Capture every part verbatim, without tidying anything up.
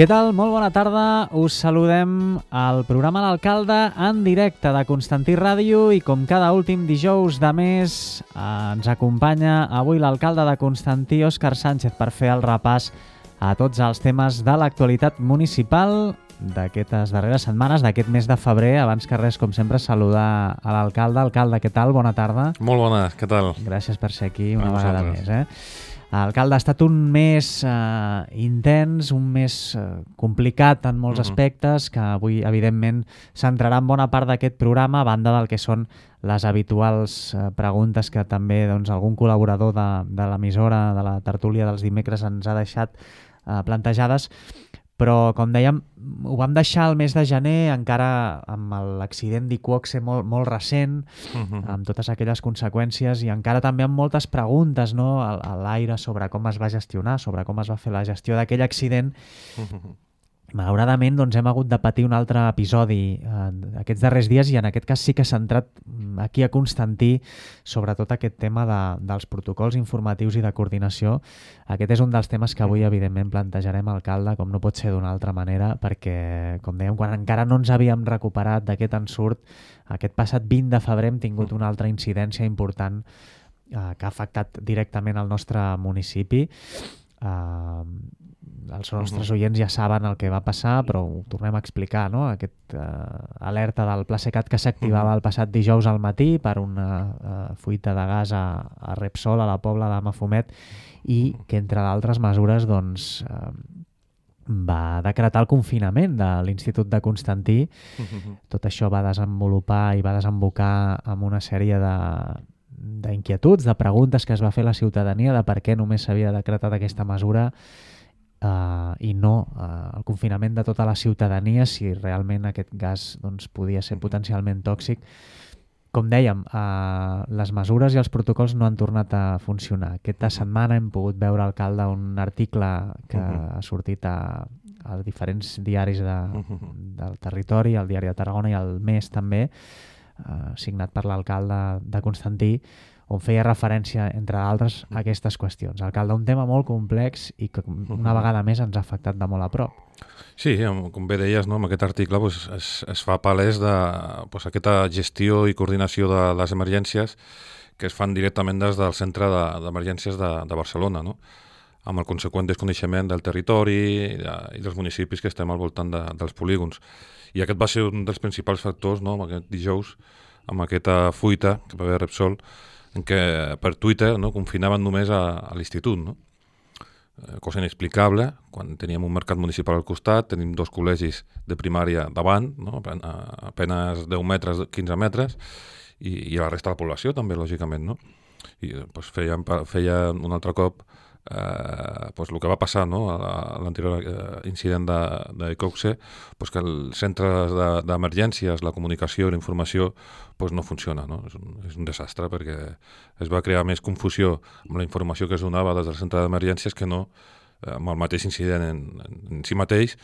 Què tal? Molt bona tarda. Us saludem al programa L'Alcalde en directe de Constantí Ràdio i com cada últim dijous de mes eh, ens acompanya avui l'alcalde de Constantí, Òscar Sánchez, per fer el repàs a tots els temes de l'actualitat municipal d'aquestes darreres setmanes, d'aquest mes de febrer. Abans que res, com sempre, saludar a l'alcalde. Alcalde, què tal? Bona tarda. Molt bona, què tal? Gràcies per ser aquí una a vegada vosaltres. més. Eh? Alcalde, ha estat un mes eh, intens, un mes eh, complicat en molts uh -huh. aspectes, que avui, evidentment, centrarà en bona part d'aquest programa, a banda del que són les habituals eh, preguntes que també doncs, algun col·laborador de, de l'emissora, de la tertúlia dels dimecres, ens ha deixat eh, plantejades. Però, com dèiem, ho vam deixar el mes de gener, encara amb l'accident d'Iqoxe molt, molt recent, uh-huh. amb totes aquelles conseqüències, i encara també amb moltes preguntes, no?, a, a l'aire sobre com es va gestionar, sobre com es va fer la gestió d'aquell accident. Uh-huh. Malauradament, doncs, hem hagut de patir un altre episodi eh, aquests darrers dies, i en aquest cas sí que s'ha centrat aquí a Constantí sobretot aquest tema de, dels protocols informatius i de coordinació. Aquest és un dels temes que avui, evidentment, plantejarem, alcalde, com no pot ser d'una altra manera, perquè, com dèiem, quan encara no ens havíem recuperat d'aquest ensurt, aquest passat vint de febrer hem tingut una altra incidència important eh, que ha afectat directament el nostre municipi. Eh, els nostres uh-huh. oients ja saben el que va passar, però ho tornem a explicar, no? Aquest eh, alerta del Plasecat que s'activava uh-huh. el passat dijous al matí per una eh, fuita de gas a, a Repsol, a la Pobla de Mafumet, i que, entre d'altres mesures, doncs, eh, va decretar el confinament de l'Institut de Constantí. Uh-huh. Tot això va desenvolupar i va desembocar amb una sèrie de d'inquietuds, de preguntes que es va fer la ciutadania de per què només s'havia decretat aquesta mesura Uh, i no uh, el confinament de tota la ciutadania, si realment aquest gas doncs, podia ser potencialment tòxic. Com dèiem, uh, les mesures i els protocols no han tornat a funcionar. Aquesta setmana hem pogut veure, alcalde, un article que uh-huh. ha sortit a, a diferents diaris de, uh-huh. del territori, el Diari de Tarragona i el Mes també, uh, signat per l'alcalde de Constantí, on feia referència, entre altres, a aquestes qüestions. Alcalde, un tema molt complex i que una vegada més ens ha afectat de molt a prop. Sí, com bé deies, no, amb aquest article pues, es, es fa palès de pues, aquesta gestió i coordinació de les emergències que es fan directament des del centre d'emergències de, de, de Barcelona, no? Amb el conseqüent desconeixement del territori i, de, i dels municipis que estem al voltant de, dels polígons. I aquest va ser un dels principals factors, no, aquest dijous, amb aquesta fuita que va haver Repsol, en què per Twitter, no, confinaven només a, a l'institut, no? Eh, cosa inexplicable, quan teníem un mercat municipal al costat, tenim dos col·legis de primària davant, no? a, a penes deu metres, quinze metres, i, i a la resta de la població també, lògicament, no? I doncs, feien, feien un altre cop eh, doncs, el que va passar, no? a l'anterior eh, incident d'Iqoxe, doncs, que els centres d'emergències, de, la comunicació i la informació pues no funciona, no? És un, és un desastre perquè es va crear més confusió amb la informació que es donava des del centre d'emergències que no eh, amb el mateix incident en, en, en si mateix,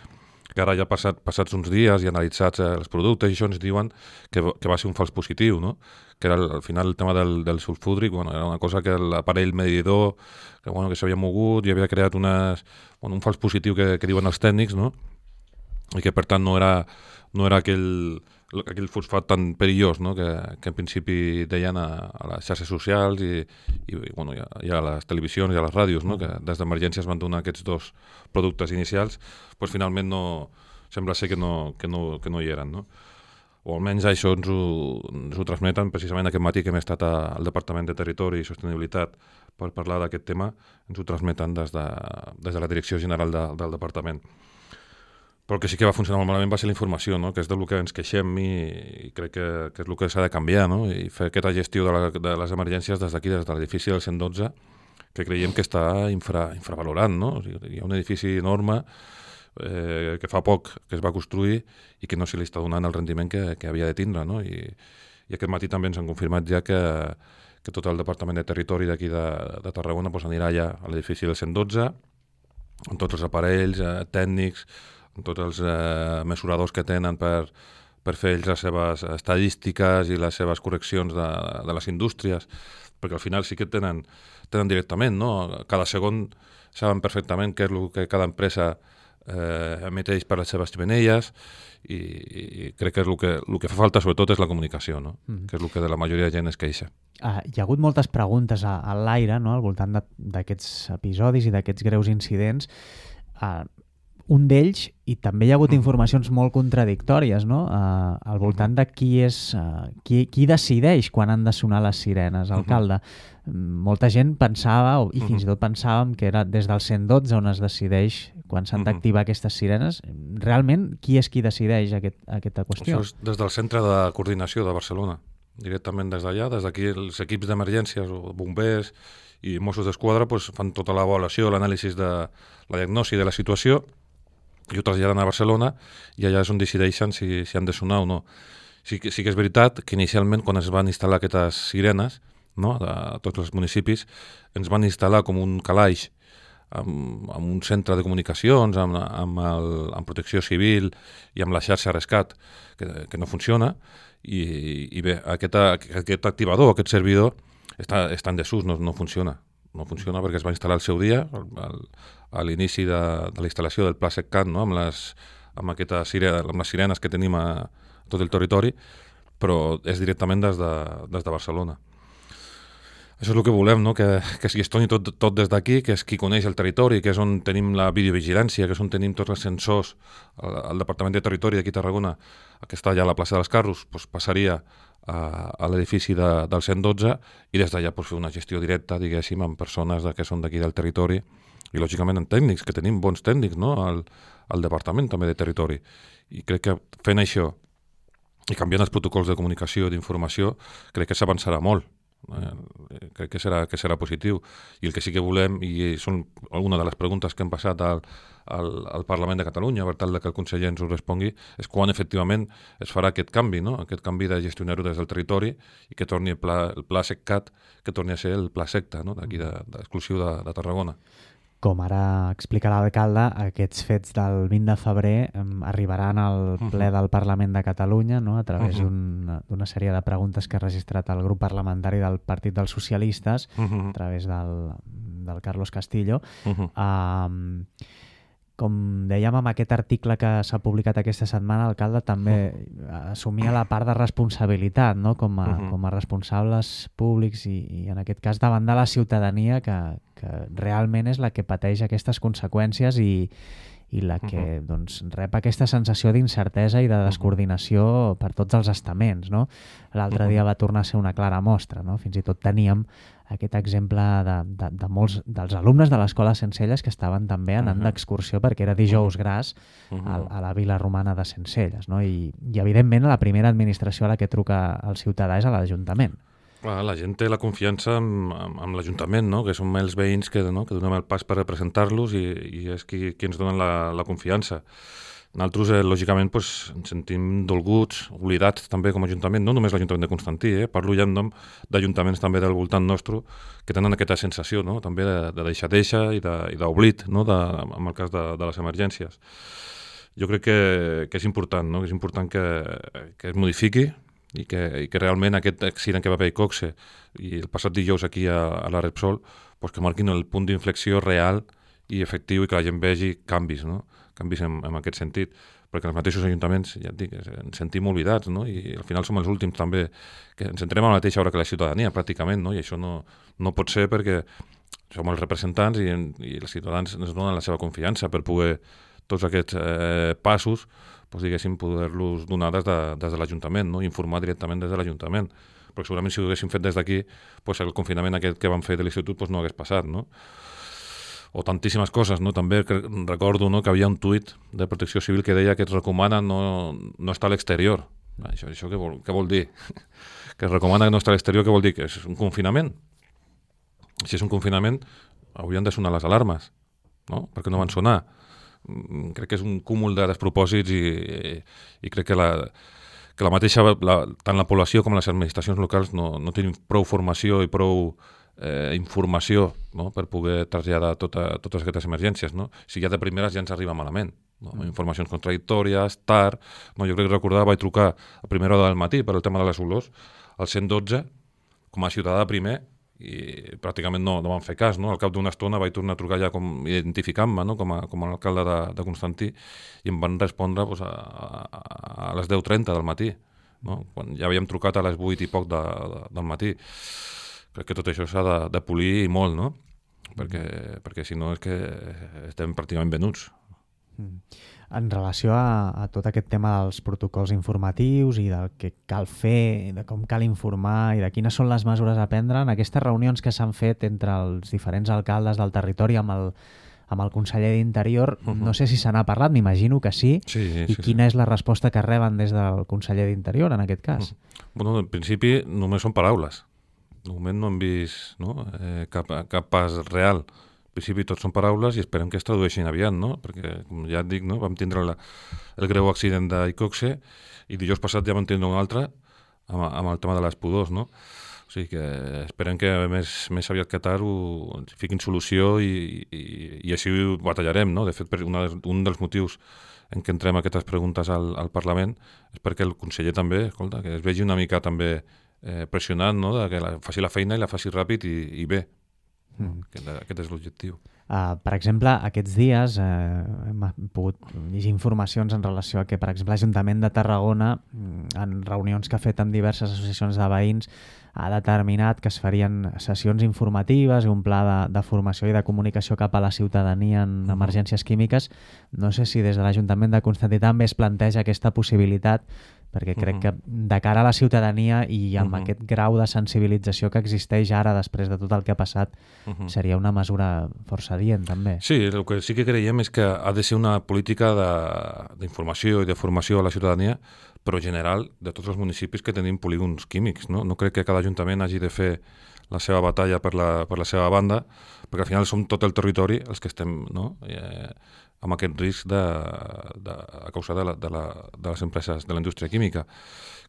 que ara ja passat, passats uns dies i analitzats eh, els productes, i això ens diuen que, que va ser un fals positiu, no? Que era al final el tema del, del sulfúdric, bueno, era una cosa que l'aparell medidor que, bueno, que s'havia mogut i havia creat unes, bueno, un fals positiu que, que diuen els tècnics, no? I que per tant no era, no era aquell aquell fosfat tan perillós, no? que, que en principi deien a, a les xarxes socials i, i, bueno, i, a, i a les televisions i a les ràdios, no? Que des d'emergències van donar aquests dos productes inicials, doncs finalment no, sembla ser que no, que no, que no hi eren, no? O almenys això ens ho, ens ho transmeten precisament aquest matí que hem estat al Departament de Territori i Sostenibilitat per parlar d'aquest tema, ens ho transmeten des de, des de la Direcció General de, del Departament. Però el que sí que va funcionar molt malament va ser la informació, no? Que és del que ens queixem i, i crec que, que és el que s'ha de canviar, no? I fer aquesta gestió de, la, de les emergències des d'aquí, des de l'edifici del cent dotze, que creiem que està infra, infravalorant, no? O sigui, hi ha un edifici enorme eh, que fa poc que es va construir i que no se li està donant el rendiment que, que havia de tindre, no? I, i aquest matí també ens han confirmat ja que, que tot el Departament de Territori d'aquí de, de Tarragona pues, anirà ja a l'edifici del cent dotze, amb tots els aparells eh, tècnics, amb tots els eh, mesuradors que tenen per, per fer ells les seves estadístiques i les seves correccions de, de les indústries, perquè al final sí que tenen, tenen directament, no? Cada segon saben perfectament què és el que cada empresa eh, emeteix per les seves ximeneies, i, i crec que és el que, el que fa falta sobretot és la comunicació, no? Mm. que és el que de la majoria de gent es queixa. Uh, hi ha hagut moltes preguntes a, a l'aire, no?, al voltant d'aquests episodis i d'aquests greus incidents. Uh, un d'ells, i també hi ha hagut mm. informacions molt contradictòries, no?, uh, al voltant de qui és uh, qui, qui decideix quan han de sonar les sirenes, alcalde. Mm-hmm. Molta gent pensava, i fins i tot pensàvem, que era des del cent dotze on es decideix quan s'han d'activar aquestes sirenes. Realment, qui és qui decideix aquest, aquesta qüestió? Això és des del Centre de Coordinació de Barcelona, directament des d'allà. Des d'aquí els equips d'emergències, o bombers i Mossos d'Esquadra pues, fan tota l'avaluació, l'anàlisi de la diagnosi de la situació, i ho traslladen a Barcelona, i allà és on decideixen si, si han de sonar o no. Sí, sí que és veritat que inicialment, quan es van instal·lar aquestes sirenes, no, a tots els municipis, ens van instal·lar com un calaix amb, amb un centre de comunicacions, amb, amb, el, amb protecció civil i amb la xarxa rescat, que, que no funciona, i, i bé, aquest, aquest activador, aquest servidor, està, està en desús, no, no funciona. No funciona perquè es va instal·lar al seu dia, al, a l'inici de, de la instal·lació del Pla SecCat, no, amb, les, amb, aquesta sirena, amb les sirenes que tenim a, a tot el territori, però és directament des de, des de Barcelona. Això és el que volem, no? que, que es gestioni tot, tot des d'aquí, que és qui coneix el territori, que és on tenim la videovigilància, que és on tenim tots els sensors. El, el Departament de Territori d'aquí a Tarragona, que està allà a la plaça dels Carros, doncs passaria a, a l'edifici de, del cent dotze, i des d'allà doncs, fer una gestió directa, diguéssim, amb persones de, que són d'aquí del territori, i lògicament en tècnics, que tenim bons tècnics, no? al, al Departament també de Territori. I crec que fent això i canviant els protocols de comunicació i d'informació, crec que s'avançarà molt. Eh, crec que serà, que serà positiu, i el que sí que volem, i són alguna de les preguntes que hem passat al, al, al Parlament de Catalunya per tal que el conseller ens ho respongui, és quan efectivament es farà aquest canvi, no? aquest canvi de gestionar-ho des del territori, i que torni el pla, el pla SecCat, que torni a ser el pla secta, no? d'aquí de, de, exclusiu de, de Tarragona. Com ara explica l'alcalde, aquests fets del vint de febrer eh, arribaran al ple del Parlament de Catalunya, no?, a través uh-huh. d'una un, sèrie de preguntes que ha registrat el grup parlamentari del Partit dels Socialistes, uh-huh. a través del, del Carlos Castillo. Uh-huh. Um, com dèiem, amb aquest article que s'ha publicat aquesta setmana, l'alcalde també assumia la part de responsabilitat, no?, com a, uh-huh. com a responsables públics i, i en aquest cas davant de la ciutadania, que, que realment és la que pateix aquestes conseqüències i, i la que uh-huh. doncs, rep aquesta sensació d'incertesa i de descoordinació per tots els estaments, no? L'altre uh-huh. dia va tornar a ser una clara mostra, no? Fins i tot teníem aquest exemple de, de, de molts dels alumnes de l'Escola Sencelles que estaven també anant uh-huh. d'excursió perquè era dijous gras uh-huh. a, a la vila romana de Sencelles, no? I, i evidentment la primera administració a la que truca el ciutadà és a l'Ajuntament. Clar, la gent té la confiança amb, amb, amb l'Ajuntament, no? Que som els veïns que, no? que donem el pas per representar-los, i, i és qui, qui ens donen la, la confiança. Nosaltres, eh, lògicament, pues, ens sentim dolguts, oblidats també com a Ajuntament, no només l'Ajuntament de Constantí, eh? parlo ja en nom d'ajuntaments també del voltant nostre, que tenen aquesta sensació, no? també de, de deixadeixa i d'oblit, no? de, en el cas de, de les emergències. Jo crec que, que és important, no? que és important que, que es modifiqui, i que, i que realment aquest accident que va haver a Coxe i el passat dijous aquí a, a la Repsol, pues que marquin el punt d'inflexió real i efectiu, i que la gent vegi canvis, no? canvis en, en aquest sentit, perquè els mateixos ajuntaments, ja et dic, ens sentim oblidats, no? I al final som els últims també, que ens entrem a la mateixa hora que la ciutadania, pràcticament, no? I això no, no pot ser, perquè som els representants i, i els ciutadans ens donen la seva confiança per poder tots aquests eh, passos, doncs, diguéssim, poder-los donar des de, des de l'Ajuntament, no? Informar directament des de l'Ajuntament, perquè segurament si ho haguéssim fet des d'aquí, doncs el confinament aquest que vam fer de l'institut doncs no hagués passat, no? O tantíssimes coses, no? També recordo, no, que havia un tuit de Protecció Civil que deia que es recomana no, no estar a l'exterior. Això, això què vol, què vol dir? Que es recomana no estar a l'exterior, què vol dir? Que és un confinament. Si és un confinament, haurien de sonar les alarmes, no? Perquè no van sonar. Crec que és un cúmul de despropòsits, i, i, i crec que la, que la mateixa, la, tant la població com les administracions locals no, no tenen prou formació i prou eh, informació, no? per poder traslladar tota, totes aquestes emergències, no? Si ja de primeres ja ens arriba malament, no? Mm. Informacions contradictòries, tard, no? Jo crec que recordar, vaig trucar a primera hora del matí per el tema de les olors, al cent dotze, com a ciutadà primer, i pràcticament no, no van fer cas, no? Al cap d'una estona vaig tornar a trucar ja com, identificant-me, no? com, a, com a alcalde de, de Constantí, i em van respondre pues, a, a, a les deu trenta del matí, no? Quan ja havíem trucat a les vuit i poc de, de, del matí. Crec que tot això s'ha de, de polir molt, no? Perquè, perquè si no és que estem pràcticament venuts. En relació a, a tot aquest tema dels protocols informatius i del que cal fer, de com cal informar i de quines són les mesures a prendre, en aquestes reunions que s'han fet entre els diferents alcaldes del territori amb el, amb el conseller d'Interior, uh-huh. no sé si se n'ha parlat, m'imagino que sí, sí, sí i sí, quina sí. és la resposta que reben des del conseller d'Interior en aquest cas? Uh-huh. Bueno, en principi només són paraules. De moment no hem vist no? eh, cap, cap pas real. En principi tot són paraules i esperem que es tradueixin aviat, no? Perquè, com ja et dic, no? Vam tindre la, el greu accident d'Icoxe i dijous passat ja vam tindre un altre amb, amb el tema de les pudors, no? O sigui que esperem que més, més aviat que tard ho fiquin solució i, i, i així ho batallarem, no? De fet, una, un dels motius en què entrem aquestes preguntes al, al Parlament és perquè el conseller també, escolta, que es vegi una mica també eh, pressionant, no? De que la, faci la feina i la faci ràpid i, i bé. Mm. Aquest, aquest és l'objectiu. Uh, per exemple, aquests dies uh, hem pogut llegir informacions en relació a que, per exemple, l'Ajuntament de Tarragona, en reunions que ha fet amb diverses associacions de veïns, ha determinat que es farien sessions informatives i un pla de, de formació i de comunicació cap a la ciutadania en uh-huh. emergències químiques. No sé si des de l'Ajuntament de Constantí també es planteja aquesta possibilitat, perquè crec uh-huh. que de cara a la ciutadania i amb uh-huh. aquest grau de sensibilització que existeix ara després de tot el que ha passat, uh-huh. seria una mesura força adient també. Sí, el que sí que creiem és que ha de ser una política d'informació i de formació a la ciutadania, però general de tots els municipis que tenim polígons químics. No, no crec que cada ajuntament hagi de fer la seva batalla per la, per la seva banda, perquè al final som tot el territori els que estem no? eh, amb aquest risc de, de, a causa de, la, de, la, de les empreses de la indústria química.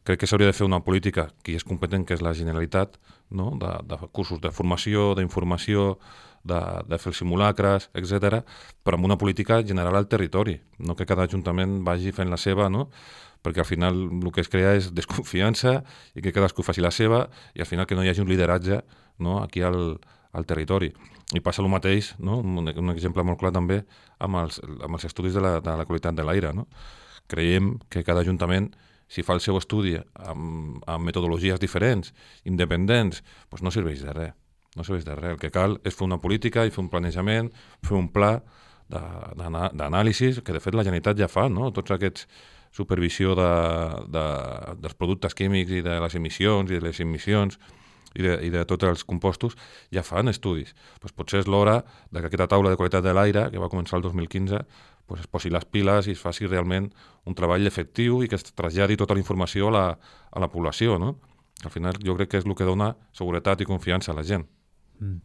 Crec que s'hauria de fer una política que és competent, que és la Generalitat, no? de, de cursos de formació, d'informació, de, de fer els simulacres, etcètera, però amb una política general al territori, no que cada ajuntament vagi fent la seva, no? Perquè al final el que es crea és desconfiança i que cadascú faci la seva i al final que no hi hagi un lideratge no? aquí al, al territori. I passa el mateix, no? un, un exemple molt clar també, amb els, amb els estudis de la, de la qualitat de l'aire. No? Creiem que cada ajuntament, si fa el seu estudi amb, amb metodologies diferents, independents, doncs no serveix de res. No serveix de res. El que cal és fer una política i fer un planejament, fer un pla d'anàlisi, que de fet la Generalitat ja fa, no? Tots aquests supervisió de, de, dels productes químics i de les emissions i de les emissions i de, i de tots els compostos ja fan estudis. Pues potser és l'hora que aquesta taula de qualitat de l'aire, que va començar el dos mil quinze, pues es posi les piles i es faci realment un treball efectiu i que es traslladi tota la informació a la, a la població. No? Al final jo crec que és el que dona seguretat i confiança a la gent. Mm.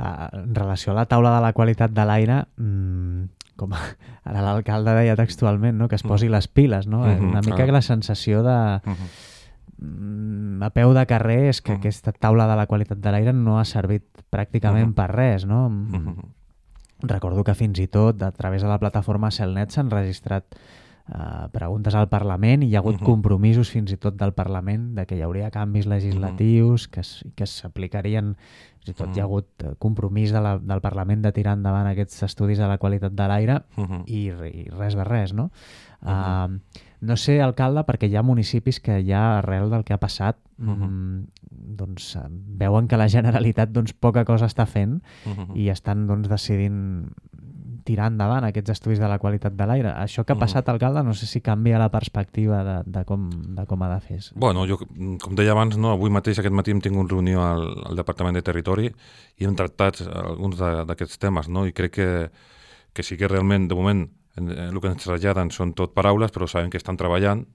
Uh, en relació a la taula de la qualitat de l'aire, mm, com ara l'alcalde deia textualment, no? Que es posi les piles, no? Uh-huh, una mica que la sensació de uh-huh. a peu de carrer és que uh-huh. aquesta taula de la qualitat de l'aire no ha servit pràcticament uh-huh. per res, no? Uh-huh. Recordo que fins i tot a través de la plataforma Celnet s'han registrat uh, preguntes al Parlament i hi ha hagut uh-huh. compromisos fins i tot del Parlament de que hi hauria canvis legislatius uh-huh. que, es, que s'aplicarien. Fins i tot uh-huh. hi ha hagut compromís de la, del Parlament de tirar endavant aquests estudis de la qualitat de l'aire uh-huh. i, i res de res, no? Uh-huh. Uh, no sé, alcalde, perquè hi ha municipis que ja arrel del que ha passat uh-huh. mm, doncs, veuen que la Generalitat doncs, poca cosa està fent uh-huh. i estan doncs, decidint tirar endavant aquests estudis de la qualitat de l'aire. Això que ha passat, uh-huh. alcalde, no sé si canvia la perspectiva de, de, com, de com ha de fer. Bueno, jo, com deia abans, no, avui mateix, aquest matí, hem tingut reunió al, al Departament de Territori i hem tractat alguns d'aquests temes, no? I crec que, que sí que realment, de moment, el que ens traslladen són tot paraules, però sabem que estan treballant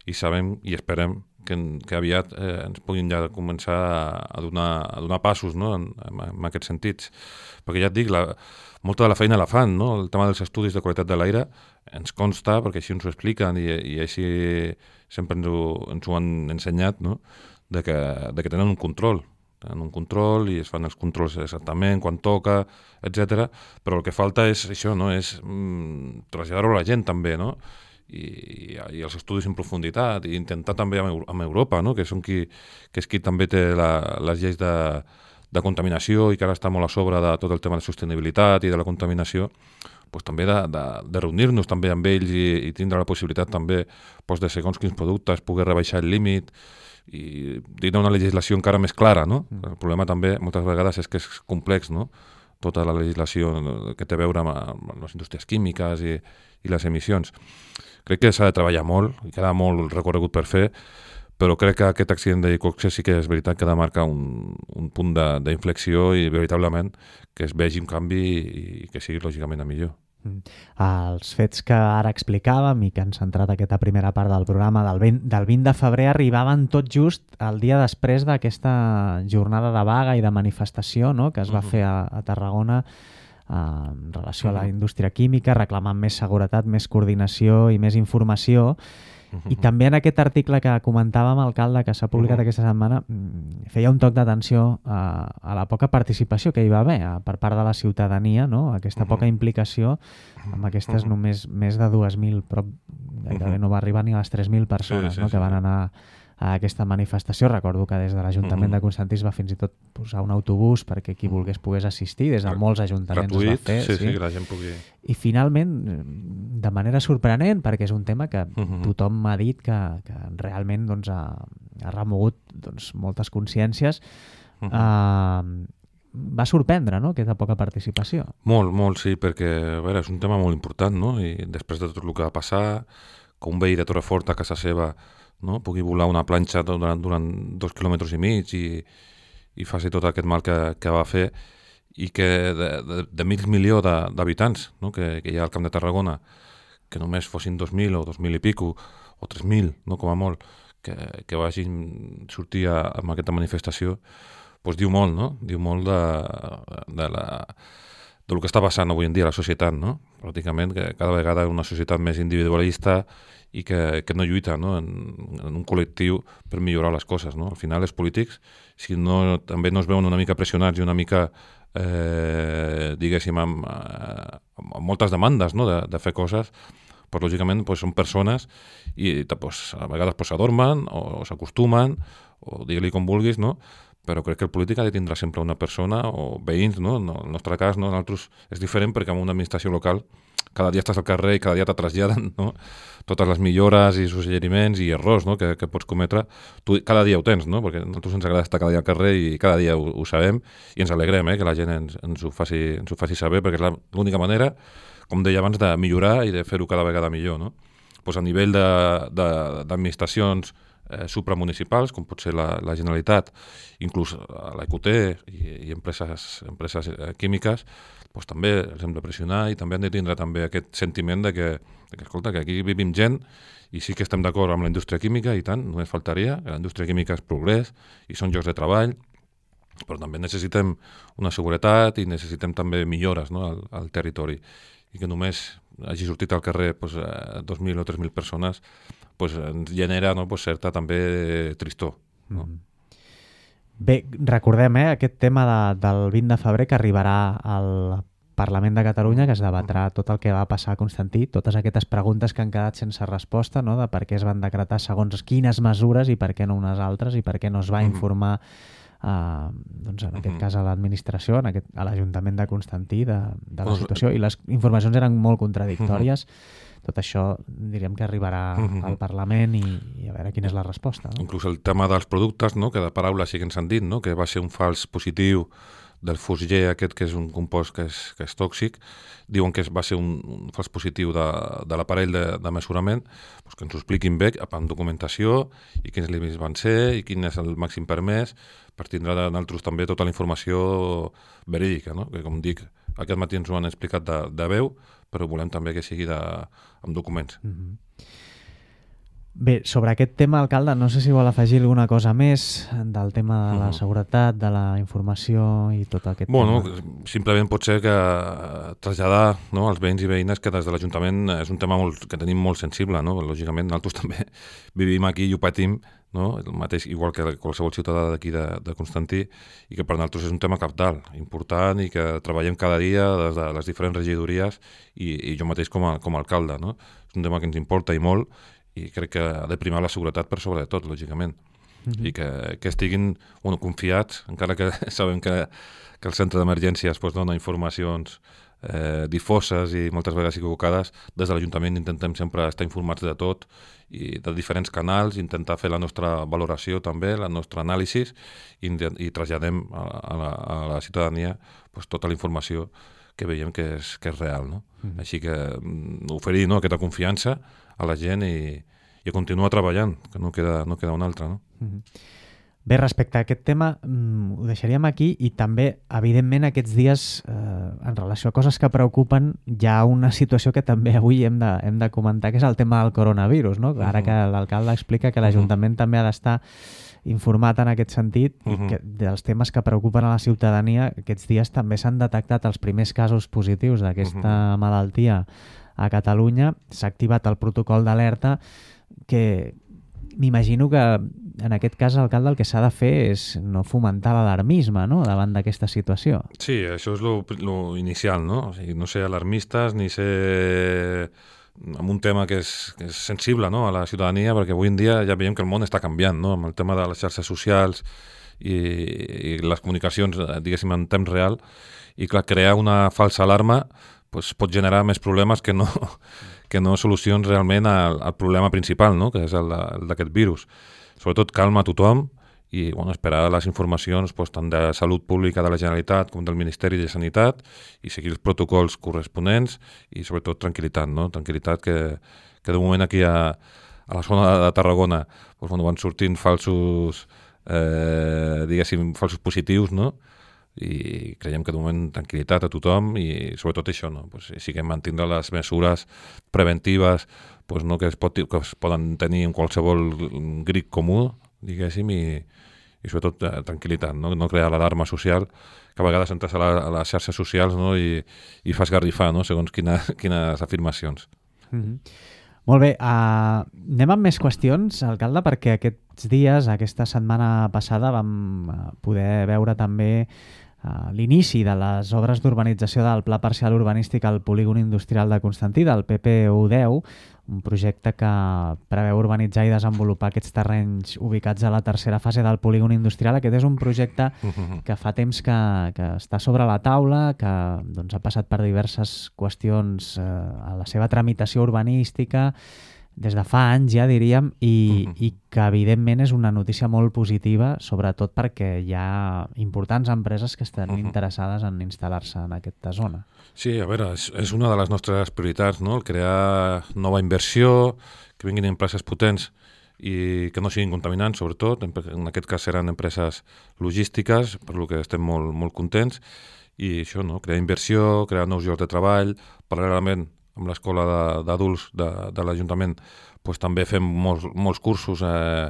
i sabem i esperem que, que aviat eh, ens puguin ja començar a donar, a donar passos no? en, en aquests sentits. Perquè ja et dic, la, molta de la feina la fan, no? El tema dels estudis de qualitat de l'aire ens consta, perquè així ens ho expliquen i, i així sempre ens ho, ens ho han ensenyat, no? de, que, de que tenen un control. Tenen un control i es fan els controls exactament, quan toca, etcètera. Però el que falta és això, no? És mm, traslladar-ho a la gent també, no? I, i els estudis en profunditat i intentar també amb, amb Europa, no? que, són qui, que és qui també té la, les lleis de, de contaminació i que ara està molt a sobre de tot el tema de sostenibilitat i de la contaminació, pues, també de, de, de reunir-nos també amb ells i, i tindre la possibilitat també pues, de segons quins productes, poder rebaixar el límit i tindre una legislació encara més clara, no? El problema també moltes vegades és que és complex, no? Tota la legislació que té a veure amb, amb les indústries químiques i, i les emissions. Crec que s'ha de treballar molt, i queda molt recorregut per fer, però crec que aquest accident d'Iqoxe sí que és veritat que ha de marcar un, un punt d'inflexió i veritablement que es vegi un canvi i que sigui lògicament a millor. Els fets que ara explicàvem i que han centrat aquesta primera part del programa del vint, del vint de febrer arribaven tot just el dia després d'aquesta jornada de vaga i de manifestació, no?, que es va uh-huh. fer a, a Tarragona eh, en relació uh-huh. a la indústria química, reclamant més seguretat, més coordinació i més informació. I també en aquest article que comentàvem, alcalde, que s'ha publicat uh-huh. aquesta setmana, feia un toc d'atenció a, a la poca participació que hi va haver a, per part de la ciutadania, no? Aquesta uh-huh. poca implicació amb aquestes uh-huh. només més de dues mil, però gairebé uh-huh. no va arribar ni a les tres mil persones sí, sí, no? que van anar a aquesta manifestació. Recordo que des de l'Ajuntament uh-huh. de Constantí es va fins i tot posar un autobús perquè qui volgués pogués assistir, des de molts ajuntaments gratuït, es va fer. Sí, sí, sí, que la gent pugui... I finalment, de manera sorprenent, perquè és un tema que uh-huh. tothom m'ha dit que, que realment doncs, ha, ha remogut doncs, moltes consciències, uh-huh. eh, va sorprendre, no?, aquesta poca participació. Molt, molt, sí, perquè a veure, és un tema molt important, no? I després de tot el que va passar, que un veí de Torrefort a casa seva no? pugui volar una planxa durant, durant dos quilòmetres i mig i, i faci tot aquest mal que, que va fer i que de, de, de mig milió d'habitants no? que, que hi ha al Camp de Tarragona, que només fossin dos mil o dos mil i pico, o tres mil, no? com a molt, que, que vagin sortir a, amb aquesta manifestació, doncs diu molt, no? Diu molt de, de la... del que està passant avui en dia a la societat, no? Pràcticament que cada vegada és una societat més individualista i que, que no lluita no? En, en un col·lectiu per millorar les coses. No? Al final els polítics, si no, també no es veuen una mica pressionats i una mica, eh, diguéssim, amb, amb moltes demandes no? de, de fer coses, pues, lògicament pues, són persones i pues, a vegades pues, s'adormen o, o s'acostumen, o digue-li com vulguis, no? Però crec que el polític ha de tindre sempre una persona o veïns, no? En el nostre cas, no? En altres és diferent perquè en una administració local cada dia estàs al carrer i cada dia te traslladen no? totes les millores i suggeriments i errors no? que, que pots cometre. Tu cada dia ho tens, no? Perquè a nosaltres ens agrada estar cada dia al carrer i cada dia ho, ho sabem i ens alegrem eh? que la gent ens, ens, ho faci, ens ho faci saber perquè és l'única manera, com deia abans, de millorar i de fer-ho cada vegada millor. No? Pues a nivell d'administracions Eh, supramunicipals, com pot ser la, la Generalitat, inclús la I Q T i, i empreses, empreses eh, químiques, doncs també els hem de pressionar i també han de tindre també aquest sentiment de que, de que, escolta, que aquí vivim gent i sí que estem d'acord amb la indústria química i tant, només faltaria, que la indústria química és progrés i són llocs de treball, però també necessitem una seguretat i necessitem també millores no, al, al territori i que només hagi sortit al carrer doncs, dos mil o tres mil persones pues, ens genera no, pues, certa també tristor. No? Mm. Bé, recordem eh, aquest tema de, del vint de febrer que arribarà al Parlament de Catalunya, que es debatrà tot el que va passar a Constantí, totes aquestes preguntes que han quedat sense resposta, no? De per què es van decretar segons quines mesures i per què no unes altres i per què no es va informar Uh, doncs en aquest cas a l'administració, en aquest, a l'Ajuntament de Constantí de, de la situació, i les informacions eren molt contradictòries. Tot això diríem que arribarà al Parlament i, i a veure quina és la resposta. No? Inclús el tema dels productes, no? Que de paraules sí que ens han dit, no? Que va ser un fals positiu del fosger aquest, que és un compost que és, que és tòxic, diuen que va ser un, un fals positiu de, de l'aparell de, de mesurament, doncs que ens ho expliquin bé amb documentació i quins límits van ser i quin és el màxim permès per tindre d'altres també tota la informació verídica, no? Que com dic, aquest matí ens ho han explicat de, de veu, però volem també que sigui de, amb documents. Mm-hmm. Bé, sobre aquest tema, alcalde, no sé si vol afegir alguna cosa més del tema de la seguretat, de la informació i tot aquest bueno, tema. Simplement pot ser que traslladar no, als veïns i veïnes que des de l'Ajuntament és un tema molt, que tenim molt sensible, no? Lògicament nosaltres també vivim aquí i ho patim, no? El mateix, igual que qualsevol ciutadà d'aquí de, de Constantí, i que per nosaltres és un tema cabdal, important i que treballem cada dia des de les diferents regidories i, i jo mateix com a, com a alcalde. No? És un tema que ens importa i molt i crec que ha de primar la seguretat per sobre de tot, lògicament. mm-hmm. i que, que estiguin bueno, confiats, encara que sabem que, que el centre d'emergències pues, dona informacions eh, difoses i moltes vegades equivocades. Des de l'Ajuntament intentem sempre estar informats de tot i de diferents canals, intentar fer la nostra valoració també, la nostra anàlisi i, i traslladem a, a, la, a la ciutadania pues, tota la informació que veiem que és, que és real. No? Mm-hmm. Així que mm, oferir no, aquesta confiança a la gent i, i continuar treballant, que no queda, no queda una altra. No? Mm-hmm. Bé, respecte a aquest tema, mm, ho deixaríem aquí i també, evidentment, aquests dies, eh, en relació a coses que preocupen, hi ha una situació que també avui hem de, hem de comentar, que és el tema del coronavirus, no? Ara que l'alcalde explica que l'Ajuntament també ha d'estar informat en aquest sentit i que dels temes que preocupen a la ciutadania, aquests dies també s'han detectat els primers casos positius d'aquesta malaltia a Catalunya. S'ha activat el protocol d'alerta que m'imagino que en aquest cas, alcalde, el que s'ha de fer és no fomentar l'alarmisme, no?, davant d'aquesta situació. Sí, això és lo, lo inicial, no? O sigui, no ser alarmistes ni ser amb un tema que és, que és sensible, no?, a la ciutadania, perquè avui en dia ja veiem que el món està canviant, no?, amb el tema de les xarxes socials i, i les comunicacions, diguéssim, en temps real, i clar, crear una falsa alarma pues, pot generar més problemes que no, que no solucions realment al, al problema principal, no?, que és el, el d'aquest virus. Sobretot calma a tothom i bueno, esperar les informacions pues, tant de Salut Pública de la Generalitat com del Ministeri de Sanitat i seguir els protocols corresponents i sobretot tranquil·litat, no? Tranquil·litat que, que de moment aquí a, a la zona de Tarragona pues, bueno, van sortint falsos, eh, diguéssim, falsos positius, no? I creiem que de moment tranquil·litat a tothom i sobretot això, no? Pues, sí que mantindre les mesures preventives pues, no? que, es pot, que es poden tenir en qualsevol grip comú, diguéssim, i, i sobretot eh, tranquil·litat, no? No crear l'alarma social, que a vegades entres a, la, a les xarxes socials no? I, i fas garrifar, no? Segons quina, quines afirmacions. Mm-hmm. Molt bé, uh, anem amb més qüestions, alcalde, perquè aquests dies, aquesta setmana passada, vam poder veure també uh, l'inici de les obres d'urbanització del Pla Parcial Urbanístic al Polígon Industrial de Constantí, del P P U deu, un projecte que preveu urbanitzar i desenvolupar aquests terrenys ubicats a la tercera fase del polígon industrial. Aquest és un projecte que fa temps que, que està sobre la taula, que doncs, ha passat per diverses qüestions eh, a la seva tramitació urbanística, des de fa anys ja diríem, i, uh-huh. i que evidentment és una notícia molt positiva, sobretot perquè hi ha importants empreses que estan uh-huh. interessades en instal·lar-se en aquesta zona. Sí, a veure, és, és una de les nostres prioritats, no? El crear nova inversió, que vinguin empreses potents i que no siguin contaminants, sobretot. En aquest cas seran empreses logístiques, per lo que estem molt, molt contents. I això, no? Crear inversió, crear nous llocs de treball, paral·lelament amb l'escola d'adults de, de, de l'Ajuntament pues, també fem molts, molts cursos eh,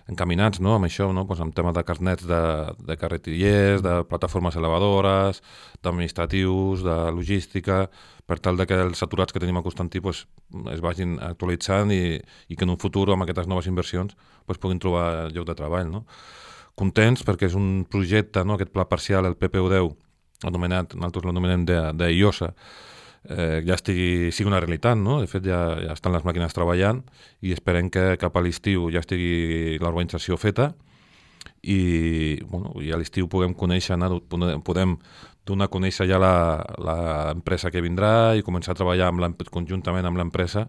encaminats no? Amb això, no? Pues, amb temes de carnets de, de carretillers, de plataformes elevadores, d'administratius, de logística, per tal de que els saturats que tenim a Constantí pues, es vagin actualitzant i, i que en un futur amb aquestes noves inversions pues, puguin trobar lloc de treball. No? Contents perquè és un projecte, no? Aquest pla parcial, el P P U deu, anomenat, nosaltres l'anomenem d'I O S A, Eh, ja estigui, sigui una realitat, no? De fet, ja, ja estan les màquines treballant i esperem que cap a l'estiu ja estigui l'urbanització feta i, bueno, i a l'estiu puguem conèixer, podem donar a conèixer ja l'empresa que vindrà i començar a treballar amb conjuntament amb l'empresa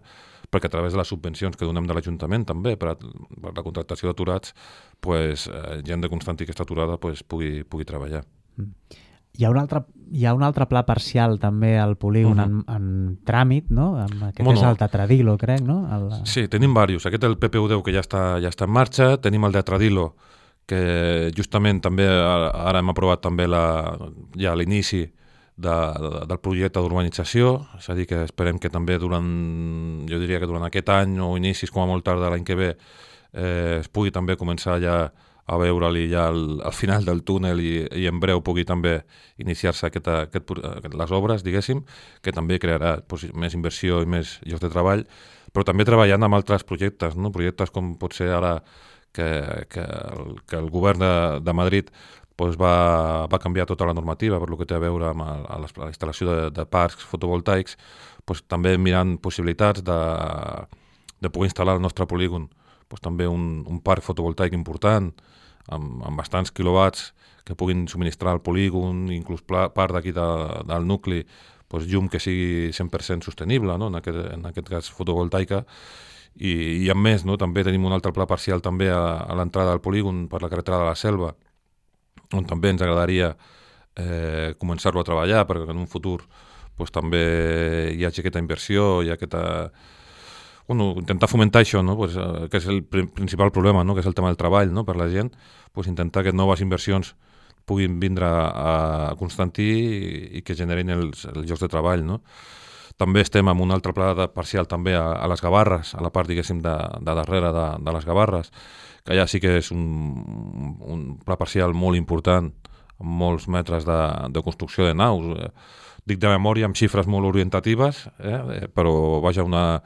perquè a través de les subvencions que donem de l'Ajuntament també per a, per la contractació d'aturats pues, eh, gent de Constantí que està aturada pues, pugui, pugui treballar. Mm. Hi ha, un altre, hi ha un altre pla parcial també al polígon uh-huh. en, en tràmit, no? Aquest bueno, és el Tetradilo, crec, no? El... Sí, tenim diversos. Aquest és el P P U deu que ja està, ja està en marxa. Tenim el de Tetradilo, que justament també ara hem aprovat també la, ja l'inici de, de, del projecte d'urbanització. És a dir, que esperem que també durant, jo diria que durant aquest any o inicis com a molt tard de l'any que ve eh, es pugui també començar ja a veure-li ja al, al final del túnel i, i en breu pugui també iniciar-se aquest, aquest, les obres, diguéssim, que també crearà pues, més inversió i més llocs de treball, però també treballant amb altres projectes, no? Projectes com pot ser ara que, que, el, que el govern de, de Madrid pues, va, va canviar tota la normativa per lo que té a veure amb el, a la instal·lació de, de parcs fotovoltaics, pues, també mirant possibilitats de, de poder instal·lar el nostre polígon pues, també un, un parc fotovoltaic important, amb, amb bastants quilowatts que puguin subministrar al polígon, inclús part d'aquí de, del nucli, pues, llum que sigui cent per cent sostenible, no? en, aquest, en aquest cas fotovoltaica, i, i a més, no? també tenim un altre pla parcial també a, a l'entrada del polígon per la carretera de la Selva, on també ens agradaria eh, començar-lo a treballar, perquè en un futur pues, també hi hagi aquesta inversió, hi ha aquesta... Bueno, intentar fomentar això, no? pues, eh, que és el pr principal problema, no? que és el tema del treball, no? per la gent, pues, intentar que noves inversions puguin vindre a, a Constantí i, i que generin els, els llocs de treball. No? També estem amb un altre pla de parcial també a, a les Gavarres, a la part, diguéssim, de, de darrere de, de les Gavarres, que allà sí que és un, un pla parcial molt important, amb molts metres de, de construcció de naus. Dic de memòria amb xifres molt orientatives, eh? però vaja, una...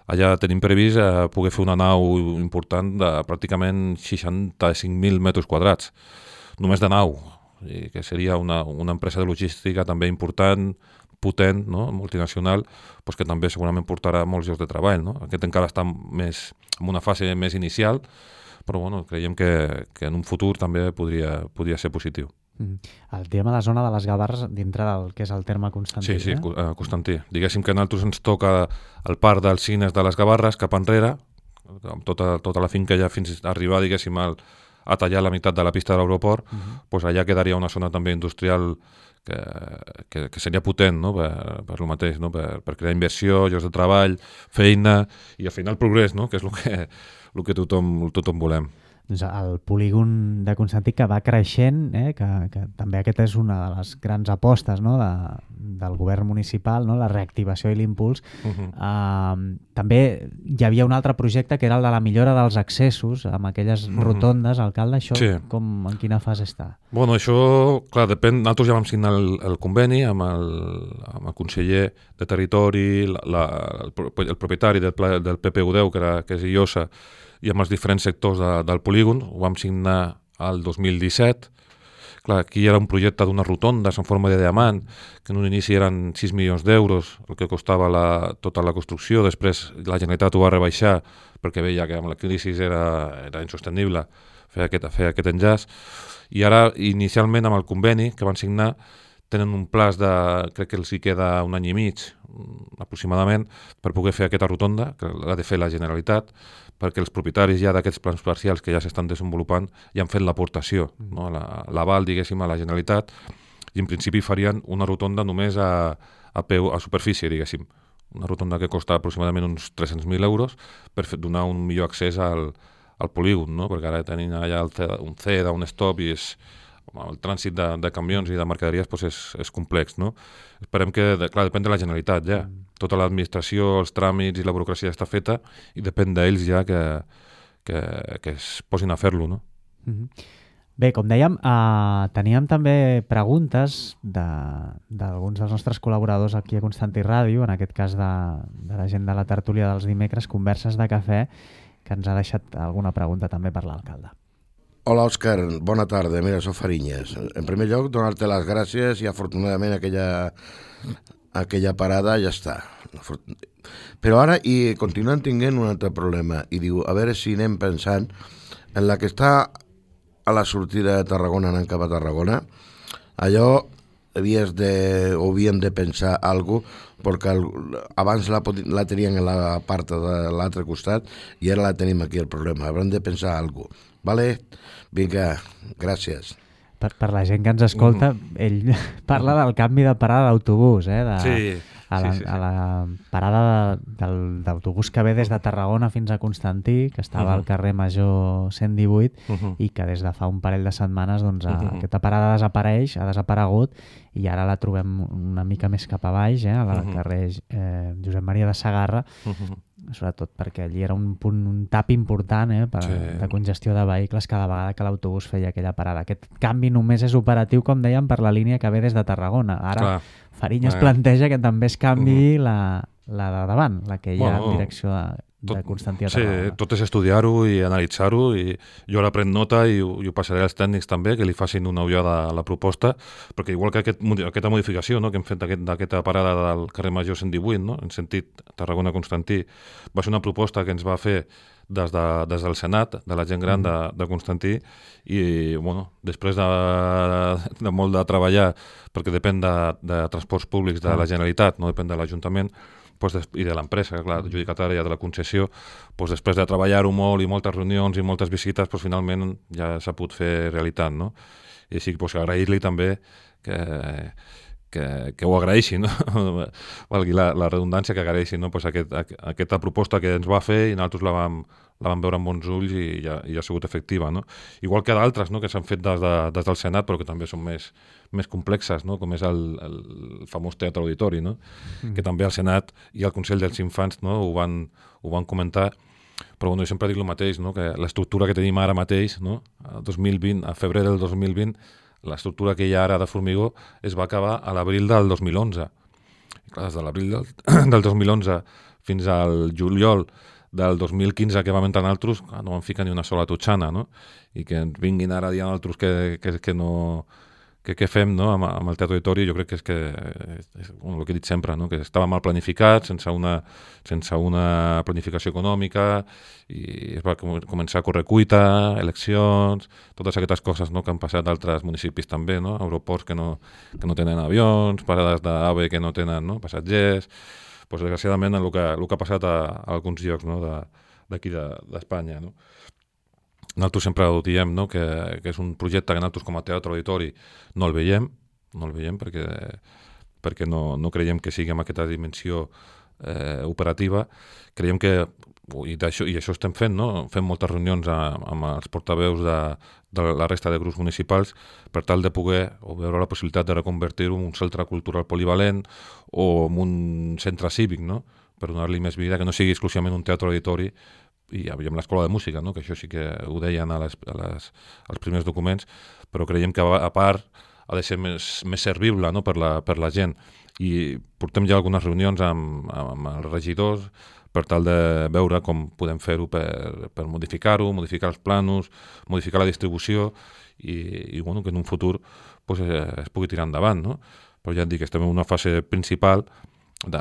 allà tenim previst eh, poder fer una nau important de pràcticament seixanta-cinc mil metres quadrats, només de nau, i que seria una, una empresa de logística també important, potent, no? multinacional, pues que també segurament portarà molts llocs de treball. No? Aquest encara està més, en una fase més inicial, però bueno, creiem que, que en un futur també podria, podria ser positiu. Mm. El tema de la zona de les Gavarres dintre del que és el terme Constantí. Sí, sí, eh? Constantí. Diguéssim que a nosaltres ens toca el parc dels cines de les Gavarres cap enrere, amb tota, tota la finca ja fins a arribar, diguéssim, al, a tallar la meitat de la pista de l'aeroport, uh -huh. pues allà quedaria una zona també industrial que, que, que seria potent, no? per, per lo mateix, no? per, per crear inversió, llocs de treball, feina i al final progrés, no? que és el que, el que tothom, tothom volem. Doncs el polígon de Constantí que va creixent, eh, que, que també aquesta és una de les grans apostes, no, de, del govern municipal, no, la reactivació i l'impuls. Uh-huh. uh, també hi havia un altre projecte que era el de la millora dels accessos amb aquelles uh-huh. rotondes. Alcalde, això sí. com, en quina fase està? Bueno, això, clar, depèn. Nosaltres ja vam signar el, el conveni amb el, amb el conseller de Territori, la, la, el, el propietari del, del P P U deu, que, era, que és Illosa, i amb els diferents sectors de, del polígon. Ho vam signar el dos mil disset. Clar, aquí era un projecte d'unes rotondes en forma de diamant, que en un inici eren sis milions d'euros, el que costava la, tota la construcció. Després la Generalitat ho va rebaixar perquè veia que amb la crisi era, era insostenible fer aquest, fer aquest enllaç. I ara, inicialment, amb el conveni que van signar, tenen un plaç de, crec que els hi queda un any i mig, aproximadament, per poder fer aquesta rotonda, que l'ha de fer la Generalitat, perquè els propietaris ja d'aquests plans parcials que ja s'estan desenvolupant ja han fet l'aportació, no? l'aval, la, diguéssim, a la Generalitat, i en principi farien una rotonda només a, a, peu, a superfície, diguéssim. Una rotonda que costa aproximadament uns tres-cents mil euros per donar un millor accés al, al polígon, no? perquè ara tenim allà el, un C E D A, un stop, i és, el trànsit de, de camions i de mercaderies pues és, és complex. No? Esperem que, de, clar, depèn de la Generalitat ja. Mm. Tota l'administració, els tràmits i la burocràcia està feta i depèn d'ells ja que, que, que es posin a fer-lo. No? Mm-hmm. Bé, com dèiem, eh, teníem també preguntes d'alguns de, dels nostres col·laboradors aquí a Constantí Ràdio, en aquest cas de, de la gent de la tertúlia dels dimecres, Converses de Cafè, que ens ha deixat alguna pregunta també per l'alcalde. Hola, Òscar, bona tarda. Mira, soc Farinyes. En primer lloc, donar-te les gràcies i afortunadament aquella, aquella parada ja està. Però ara i continuen tinguent un altre problema i diu, a veure si anem pensant en la que està a la sortida de Tarragona anant cap a Tarragona. Allò havies de, o havíem de pensar alguna cosa, perquè el, abans la, la teníem a la part de l'altre costat i ara la tenim aquí el problema. Haurem de pensar alguna cosa. Vale? Vinga, gràcies. Per, per la gent que ens escolta, mm. ell parla del canvi de parada d'autobús, eh? De, sí, a la, sí, sí, sí. A la parada de, d'autobús que ve des de Tarragona fins a Constantí, que estava uh-huh. al carrer Major cent divuit, uh-huh. i que des de fa un parell de setmanes doncs, uh-huh. aquesta parada desapareix, ha desaparegut, i ara la trobem una mica més cap a baix, eh? al uh-huh. carrer eh, Josep Maria de Sagarra, uh-huh. sobretot perquè allí era un punt, un tap important eh, per, sí. de congestió de vehicles cada vegada que l'autobús feia aquella parada. Aquest canvi només és operatiu, com dèiem, per la línia que ve des de Tarragona. Ara Clar. Farinyes eh. planteja que també es canvi uh-huh. la, la de davant, la que hi ha bueno, en direcció de, de Constantí a Sí, Tarragona. tot és estudiar-ho i analitzar-ho, i jo ara prenc nota i ho, i ho passaré als tècnics també, que li facin una ullada a la proposta, perquè igual que aquest, aquesta modificació, no?, que hem fet d'aquesta parada del carrer Major cent divuit, no?, en sentit Tarragona-Constantí, va ser una proposta que ens va fer des, de, des del Senat, de la gent gran de, de Constantí, i bueno, després de, de molt de treballar, perquè depèn de, de transports públics de la Generalitat, no depèn de l'Ajuntament, pues, i de l'empresa, clar, adjudicatària de la concessió, pues, després de treballar-ho molt i moltes reunions i moltes visites, pues, finalment ja s'ha pogut fer realitat, no? I així pues, agrair-li també que, que, que ho agraeixi, no? Valgui la, la redundància, que agraeixi, no? Pues, aquest, aquesta proposta que ens va fer i nosaltres la vam, la vam veure amb bons ulls i ja, i ja ha sigut efectiva, no? Igual que d'altres, no?, que s'han fet des, de, des del Senat, però que també són més, més complexes, no?, com és el, el famós teatre auditori, no?, mm. que també al Senat i al Consell dels Infants, no?, ho van, ho van comentar, però bueno, jo sempre dic el mateix, no?, que l'estructura que tenim ara mateix, no?, a, dos mil vint, a febrer del dos mil vint, l'estructura que hi ha ara de Formigó es va acabar a l'abril del dos mil onze. I clar, des de l'abril del, del dos mil onze fins al juliol del dos mil quinze que vam entrar en altres, no vam ficar ni una sola totxana, no? I que ens vinguin ara dient altres que, que, que no... que què fem, no?, amb, amb el teatre auditori, jo crec que és que, és, bueno, el que he dit sempre, no?, que estava mal planificat, sense una, sense una planificació econòmica, i es va com, començar a córrer cuita, eleccions, totes aquestes coses, no?, que han passat d'altres municipis també, no?, aeroports que no, que no tenen avions, parades d'AVE que no tenen, no?, passatgers, pues, desgraciadament el que, el que ha passat a, a alguns llocs, no?, d'aquí de, d'Espanya, no? Nosaltres sempre ho diem, no?, que, que és un projecte que nosaltres com a teatre auditori no el veiem, no el veiem perquè, perquè no, no creiem que sigui amb aquesta dimensió eh, operativa. Creiem que, i, això, i això estem fent, no?, fem moltes reunions a, amb els portaveus de, de la resta de grups municipals per tal de poder o veure la possibilitat de reconvertir-ho en un centre cultural polivalent o en un centre cívic, no?, per donar-li més vida, que no sigui exclusivament un teatre auditori, i amb l'escola de música, no?, que això sí que ho deien a les, a les, als primers documents, però creiem que a part ha de ser més, més servible, no?, per, la, per la gent. I portem ja algunes reunions amb, amb els regidors per tal de veure com podem fer-ho per, per modificar-ho, modificar els planos, modificar la distribució i, i bueno, que en un futur pues, es pugui tirar endavant, no? Però ja et dic, estem en una fase principal de,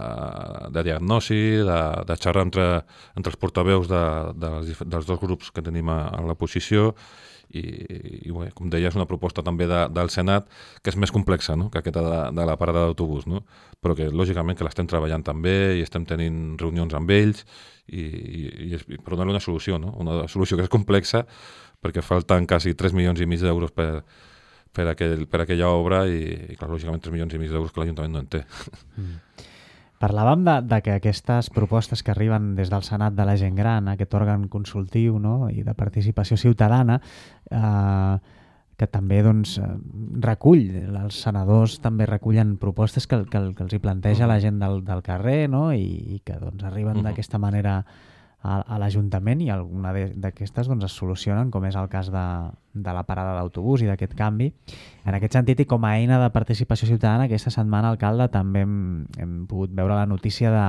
de diagnosi, de, de xerrar entre, entre els portaveus de, de les, dels dos grups que tenim a, a la posició i, i bé, com deia, és una proposta també de, del Senat que és més complexa, no?, que aquesta de, de la parada d'autobús, no?, però que lògicament que l'estem treballant també i estem tenint reunions amb ells i, i, i per donar-li una solució, no?, una solució que és complexa perquè falten quasi tres milions i mig d'euros per, per, aquell, per aquella obra i, i clar, lògicament tres milions i mig d'euros que l'Ajuntament no en té. Mm. Parlàvem de, de que aquestes propostes que arriben des del Senat de la gent gran, aquest òrgan consultiu, no?, i de participació ciutadana, eh, que també doncs, recull, els senadors també recullen propostes que, que, que els hi planteja la gent del, del carrer, no?, i, i que doncs, arriben uh-huh. d'aquesta manera a, a l'Ajuntament i alguna d'aquestes doncs, es solucionen, com és el cas de, de la parada d'autobús i d'aquest canvi. En aquest sentit, i com a eina de participació ciutadana, aquesta setmana, alcalde, també hem, hem pogut veure la notícia de,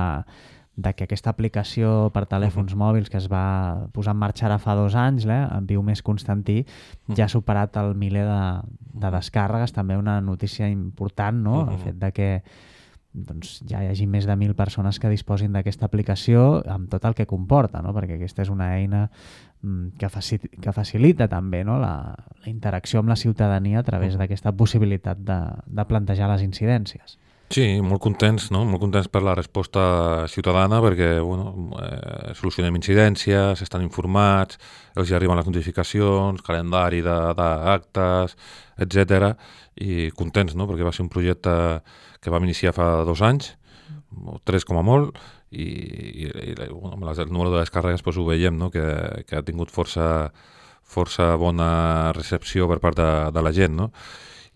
de que aquesta aplicació per telèfons uh-huh. mòbils que es va posar en marxa ara fa dos anys, eh, en Viu Més Constantí, uh-huh. ja ha superat el miler de, de descàrregues, també una notícia important, no?, uh-huh. el fet de que doncs, ja hi hagi més de mil persones que disposin d'aquesta aplicació amb tot el que comporta, no?, perquè aquesta és una eina que, faci, que facilita també, no?, la, la interacció amb la ciutadania a través d'aquesta possibilitat de, de plantejar les incidències. Sí, molt contents, no? Molt contents per la resposta ciutadana perquè bueno, eh, solucionem incidències, estan informats, els hi arriben les notificacions, calendari d'actes, etcètera, i contents, no? Perquè va ser un projecte que vam iniciar fa dos anys, o tres com a molt, i, i, i bueno, amb el número de descàrregues doncs, ho veiem, no? que, que ha tingut força, força bona recepció per part de, de la gent, no?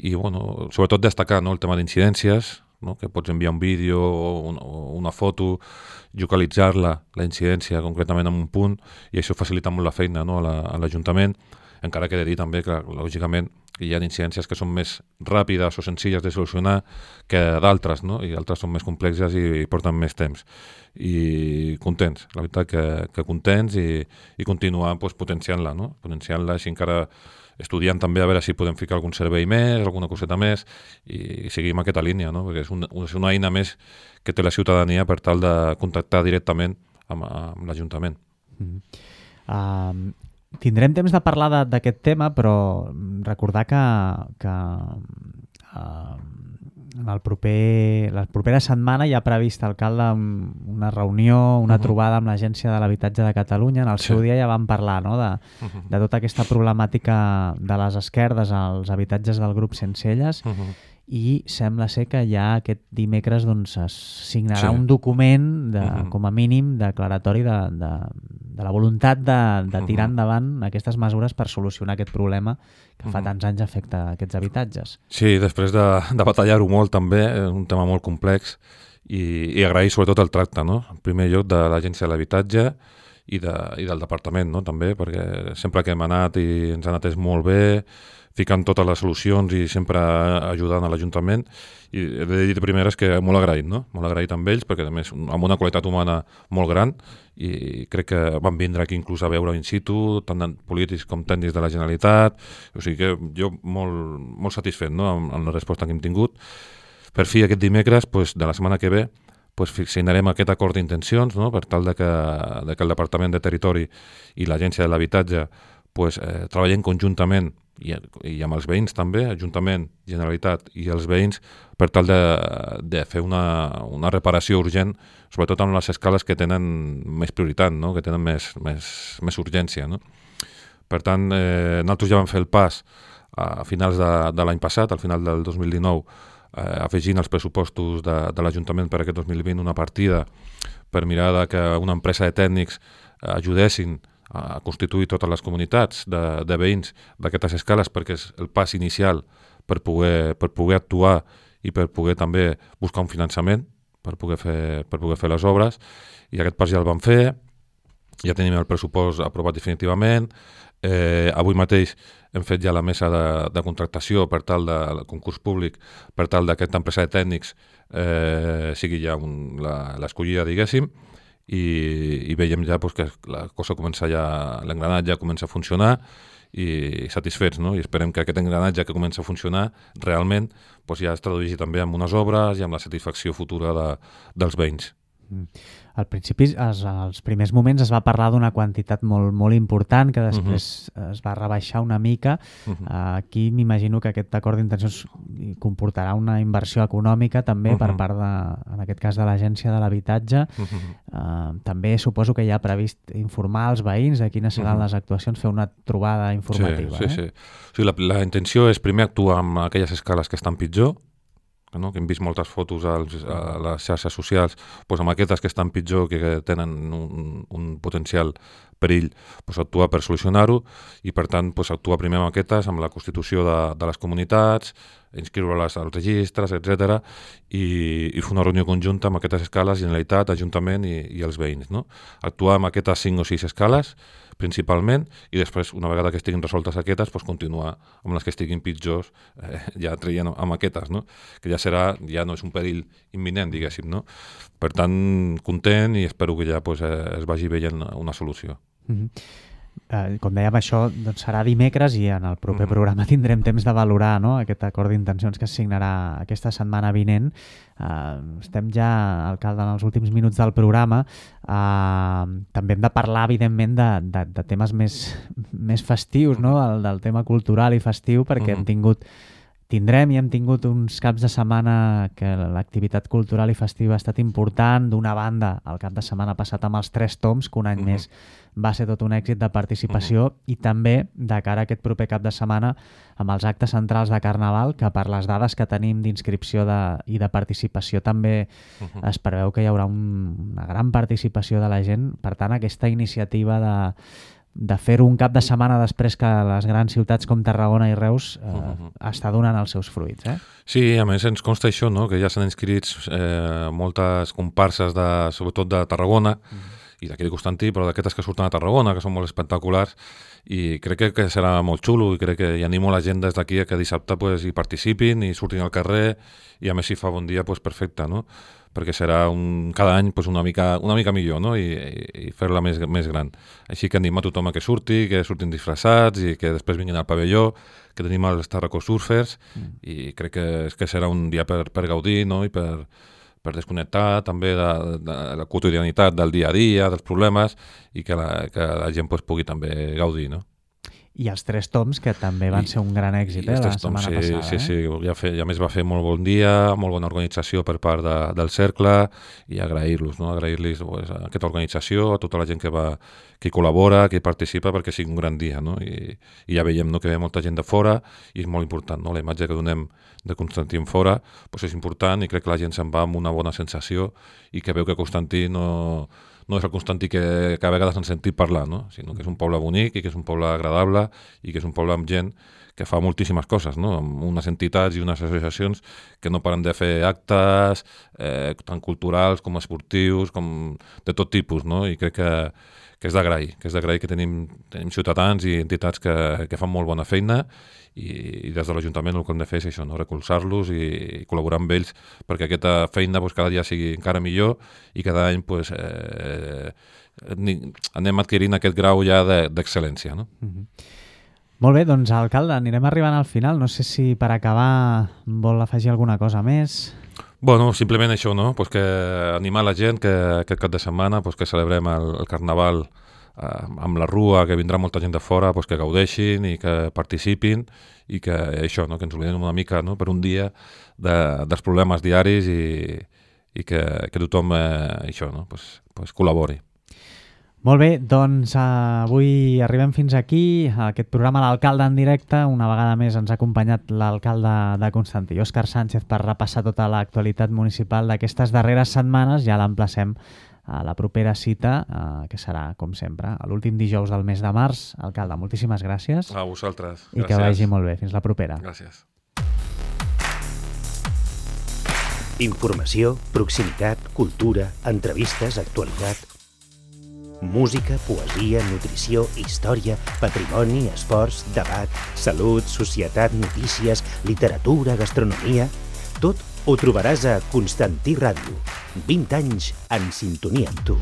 I bueno, sobretot destacar, no? El tema d'incidències, no? Que pots enviar un vídeo o, un, o una foto, localitzar-la, la incidència concretament en un punt, i això facilita molt la feina, no? a l'Ajuntament, encara que he de dir també que lògicament que hi ha incidències que són més ràpides o senzilles de solucionar que d'altres, no? I altres són més complexes i, i porten més temps. I contents, la veritat que, que contents i, i continuar pues, potenciant-la, no? Potenciant-la, així encara estudiant també a veure si podem ficar algun servei més, alguna coseta més, i, i seguim aquesta línia, no? Perquè és, un, és una eina més que té la ciutadania per tal de contactar directament amb, amb l'Ajuntament. Mm. Uh, tindrem temps de parlar d'aquest tema, però recordar que, que uh, en el proper, la propera setmana hi ha previst, alcalde, una reunió, una uh-huh. trobada amb l'Agència de l'Habitatge de Catalunya. En el seu sí. dia ja vam parlar, no?, de, uh-huh. de tota aquesta problemàtica de les esquerdes als habitatges del grup Sencelles, uh-huh. i sembla ser que ja aquest dimecres doncs, es signarà sí. un document, de, uh-huh. com a mínim, declaratori de, de, de la voluntat de, de tirar uh-huh. endavant aquestes mesures per solucionar aquest problema que fa uh-huh. tants anys afecta aquests habitatges. Sí, després de, de batallar-ho molt també, és un tema molt complex, i, i agrair sobretot el tracte, no? En primer lloc de l'Agència de l'Habitatge i, de, i del Departament, no? També, perquè sempre que hem anat i ens han atès molt bé, ficant totes les solucions i sempre ajudant a l'Ajuntament, i he de dir de primeres que molt agraït, no? Molt agraït amb ells, perquè a més amb una qualitat humana molt gran, i crec que van vindre aquí inclús a veure in situ, tant polítics com tècnics de la Generalitat, o sigui que jo molt, molt satisfet, no?, amb, amb la resposta que hem tingut. Per fi aquest dimecres, pues, de la setmana que ve, pues, signarem aquest acord d'intencions, no?, per tal de que, de que el Departament de Territori i l'Agència de l'Habitatge pues, eh, treballen conjuntament i, i amb els veïns també, Ajuntament, Generalitat i els veïns, per tal de, de fer una, una reparació urgent, sobretot amb les escales que tenen més prioritat, no?, que tenen més, més, més urgència, no? Per tant, eh, nosaltres ja vam fer el pas a finals de, de l'any passat, al final del dos mil dinou, eh, afegint als pressupostos de, de l'Ajuntament per aquest dos mil vint una partida per mirar de que una empresa de tècnics eh, ajudessin a constituir totes les comunitats de, de veïns d'aquestes escales, perquè és el pas inicial per poder, per poder actuar i per poder també buscar un finançament per poder fer, per poder fer les obres, i aquest pas ja el vam fer, ja tenim el pressupost aprovat definitivament. Eh, avui mateix hem fet ja la mesa de, de contractació per tal del concurs públic, per tal d'aquesta empresa de tècnics eh, sigui ja un, la, l'escollida, diguéssim, i, i veiem ja pues, que la cosa comença ja, l'engranatge comença a funcionar, i satisfets, no? I esperem que aquest engranatge que comença a funcionar realment pues, ja es tradueixi també en unes obres i amb la satisfacció futura de, dels veïns. Al principi, es, als primers moments, es va parlar d'una quantitat molt, molt important, que després uh-huh. es va rebaixar una mica. Uh-huh. Aquí m'imagino que aquest acord d'intencions comportarà una inversió econòmica també uh-huh. per part, de, en aquest cas, de l'Agència de l'Habitatge. Uh-huh. Uh, també suposo que hi ha previst informar els veïns de quines seran uh-huh. les actuacions, fer una trobada informativa. Sí, sí, eh? sí. O sigui, la, la intenció és primer actuar amb aquelles escales que estan pitjor, no? Que hem vist moltes fotos als, a les xarxes socials, doncs amb aquestes que estan pitjor, que tenen un, un potencial perill, doncs actuar per solucionar-ho, i per tant doncs actuar primer amb aquestes, amb la constitució de, de les comunitats, inscriure-les als registres, etcètera, i, i fer una reunió conjunta amb aquestes escales, Generalitat, Ajuntament i, i els veïns, no? Actuar amb aquestes cinc o sis escales, principalment, i després, una vegada que estiguin resoltes aquestes, doncs continuar amb les que estiguin pitjors, eh, ja traient amb aquestes, no? Que ja serà, ja no és un perill imminent, diguéssim, no? Per tant, content, i espero que ja pues, eh, es vagi veient una solució. Mm-hmm. Eh, com dèiem, això doncs, serà dimecres, i en el proper mm-hmm. programa tindrem temps de valorar, no?, aquest acord d'intencions que es signarà aquesta setmana vinent. Eh, estem ja, alcalde, en els últims minuts del programa. Eh, també hem de parlar, evidentment, de, de, de temes més, més festius, no?, el, del tema cultural i festiu, perquè mm-hmm. hem tingut Tindrem i hem tingut uns caps de setmana que l'activitat cultural i festiva ha estat important. D'una banda, el cap de setmana passat amb els Tres Toms, que un any uh-huh. més va ser tot un èxit de participació, uh-huh. i també de cara a aquest proper cap de setmana amb els actes centrals de Carnaval, que per les dades que tenim d'inscripció de, i de participació també uh-huh. es preveu que hi haurà un, una gran participació de la gent. Per tant, aquesta iniciativa de de fer-ho un cap de setmana després que les grans ciutats com Tarragona i Reus eh, uh-huh. està donant els seus fruits. Eh? Sí, a més ens consta això, no?, que ja s'han inscrits eh, moltes comparses, de, sobretot de Tarragona, uh-huh. i d'aquí de Constantí, però d'aquestes que surten a Tarragona, que són molt espectaculars, i crec que, que serà molt xulo, i crec que i animo la gent des d'aquí a que dissabte pues, hi participin i surtin al carrer, i a més si fa bon dia, pues, perfecte, no? Perquè serà un, cada any pues, una, mica, una mica millor, no? I, i, i fer-la més, més gran. Així que animo a tothom a que surti, que surtin disfressats i que després vinguin al pavelló, que tenim els Tarraco Surfers, mm. i crec que, que serà un dia per, per gaudir, no? I per, per desconnectar també de, de la quotidianitat del dia a dia, dels problemes, i que la, que la gent pues, pugui també gaudir, no? I els Tres Toms, que també van I, ser un gran èxit eh, la setmana sí, passada. Sí, eh? sí, ja, fe, ja més va fer molt bon dia, molt bona organització per part de, del Cercle, i agrair-los, no? Agrair-los pues, a aquesta organització, a tota la gent que va que hi col·labora, que hi participa, perquè sigui un gran dia, no? I, i ja veiem no, que ve molta gent de fora, i és molt important, no? La imatge que donem de Constantí en fora pues és important, i crec que la gent se'n va amb una bona sensació, i que veu que Constantí no... no és el Constantí que, que a vegades han sentit parlar, no? Sinó que és un poble bonic i que és un poble agradable i que és un poble amb gent que fa moltíssimes coses, no? Amb unes entitats i unes associacions que no paren de fer actes, eh, tant culturals com esportius, com de tot tipus, no? I crec que, que és d'agrair, que és d'agrair que tenim, tenim ciutadans i entitats que, que fan molt bona feina, i, i des de l'Ajuntament el que hem de fer és això, no? Recolzar-los i, i col·laborar amb ells perquè aquesta feina pues, cada dia sigui encara millor i cada any pues, eh, anem adquirint aquest grau ja d'excel·lència. No? Mm-hmm. Molt bé, doncs alcalde, anirem arribant al final. No sé si per acabar vol afegir alguna cosa més. Bueno, simplement això, no? Pues que animar la gent que aquest cap de setmana pues, que celebrem el, el Carnaval eh, amb la Rua, que vindrà molta gent de fora, pues, que gaudeixin i que participin i que això, no? Que ens oblidem una mica no? Per un dia de, dels problemes diaris i, i que, que tothom eh, això, no? pues, pues, col·labori. Molt bé, doncs uh, avui arribem fins aquí, a aquest programa L'Alcalde en directe. Una vegada més ens ha acompanyat l'alcalde de Constantí, Òscar Sánchez, per repassar tota l'actualitat municipal d'aquestes darreres setmanes. Ja l'emplacem a la propera cita, uh, que serà, com sempre, l'últim dijous del mes de març. Alcalde, moltíssimes gràcies. A vosaltres. I gràcies. Que vagi molt bé. Fins la propera. Gràcies. Informació, proximitat, cultura, entrevistes, actualitat... Música, poesia, nutrició, història, patrimoni, esports, debat, salut, societat, notícies, literatura, gastronomia... Tot ho trobaràs a Constantí Ràdio. vint anys en sintonia amb tu.